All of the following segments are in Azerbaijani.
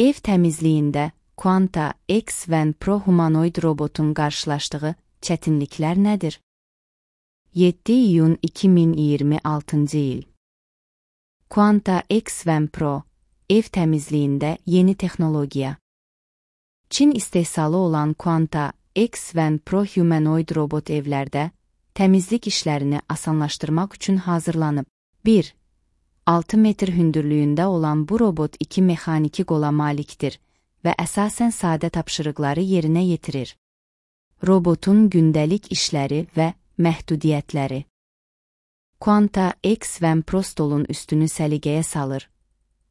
Ev təmizliyində Quanta X1 Pro humanoid robotun qarşılaşdığı çətinliklər nədir? 7 iyun 2026 il. Quanta X1 Pro ev təmizliyində yeni texnologiya. Çin istehsalı olan Quanta X1 Pro humanoid robot evlərdə təmizlik işlərini asanlaşdırmaq üçün hazırlanıb. 1. 6 metr hündürlüyündə olan bu robot 2 mexaniki qola malikdir və əsasən sadə tapşırıqları yerinə yetirir. Robotun gündəlik işləri və məhdudiyyətləri. Quanta X1 Pro stolun üstünü səliqəyə salır,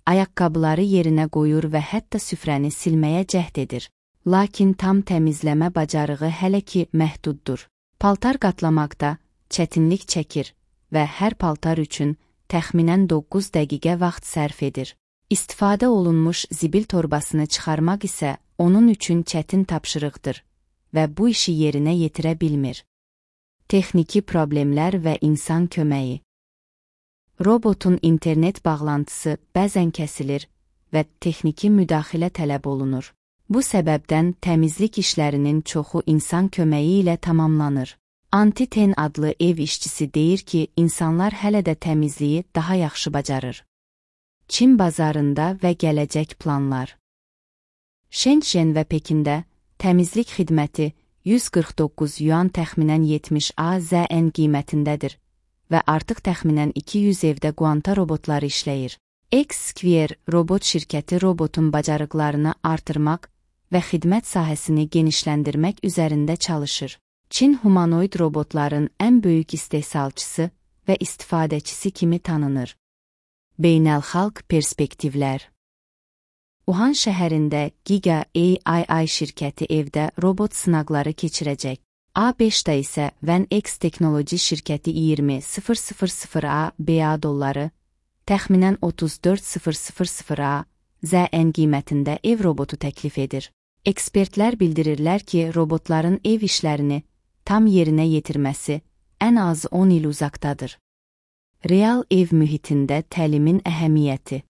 ayaqqabıları yerinə qoyur və hətta süfrəni silməyə cəhd edir. Lakin tam təmizləmə bacarığı hələ ki məhduddur. Paltar qatlamaqda çətinlik çəkir və hər paltar üçün təxminən 9 dəqiqə vaxt sərf edir. İstifadə olunmuş zibil torbasını çıxarmaq isə onun üçün çətin tapşırıqdır və bu işi yerinə yetirə bilmir. Texniki problemlər və insan köməyi. Robotun internet bağlantısı bəzən kəsilir və texniki müdaxilə tələb olunur. Bu səbəbdən təmizlik işlərinin çoxu insan köməyi ilə tamamlanır. Anti-Ten adlı ev işçisi deyir ki, insanlar hələ də təmizliyi daha yaxşı bacarır. Çin bazarında və gələcək planlar. Shenzhen və Pekində təmizlik xidməti 149 yuan təxminən 70 AZN qiymətindədir və artıq təxminən 200 evdə Quanta robotları işləyir. X-Square robot şirkəti robotun bacarıqlarını artırmaq və xidmət sahəsini genişləndirmək üzərində çalışır. Çin humanoid robotların ən böyük istehsalçısı və istifadəçisi kimi tanınır. Beynəlxalq perspektivlər. Wuhan şəhərində Giga AI şirkəti evdə robot sınaqları keçirəcək. A5-da isə VanX Teknoloji şirkəti 20.000 ABA dolları, təxminən 34.000 ZN qiymətində ev robotu təklif edir. Ekspertlər bildirirlər ki, robotların ev işlərini tam yerinə yetirməsi ən az 10 il uzaqdadır. Real ev mühitində təlimin əhəmiyyəti.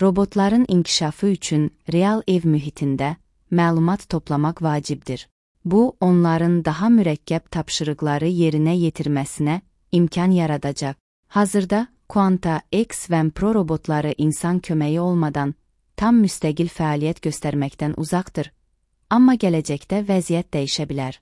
Robotların inkişafı üçün real ev mühitində məlumat toplamaq vacibdir. Bu, onların daha mürəkkəb tapşırıqları yerinə yetirməsinə imkan yaradacaq. Hazırda Quanta X1 Pro robotları insan köməyi olmadan tam müstəqil fəaliyyət göstərməkdən uzaqdır, amma gələcəkdə vəziyyət dəyişə bilər.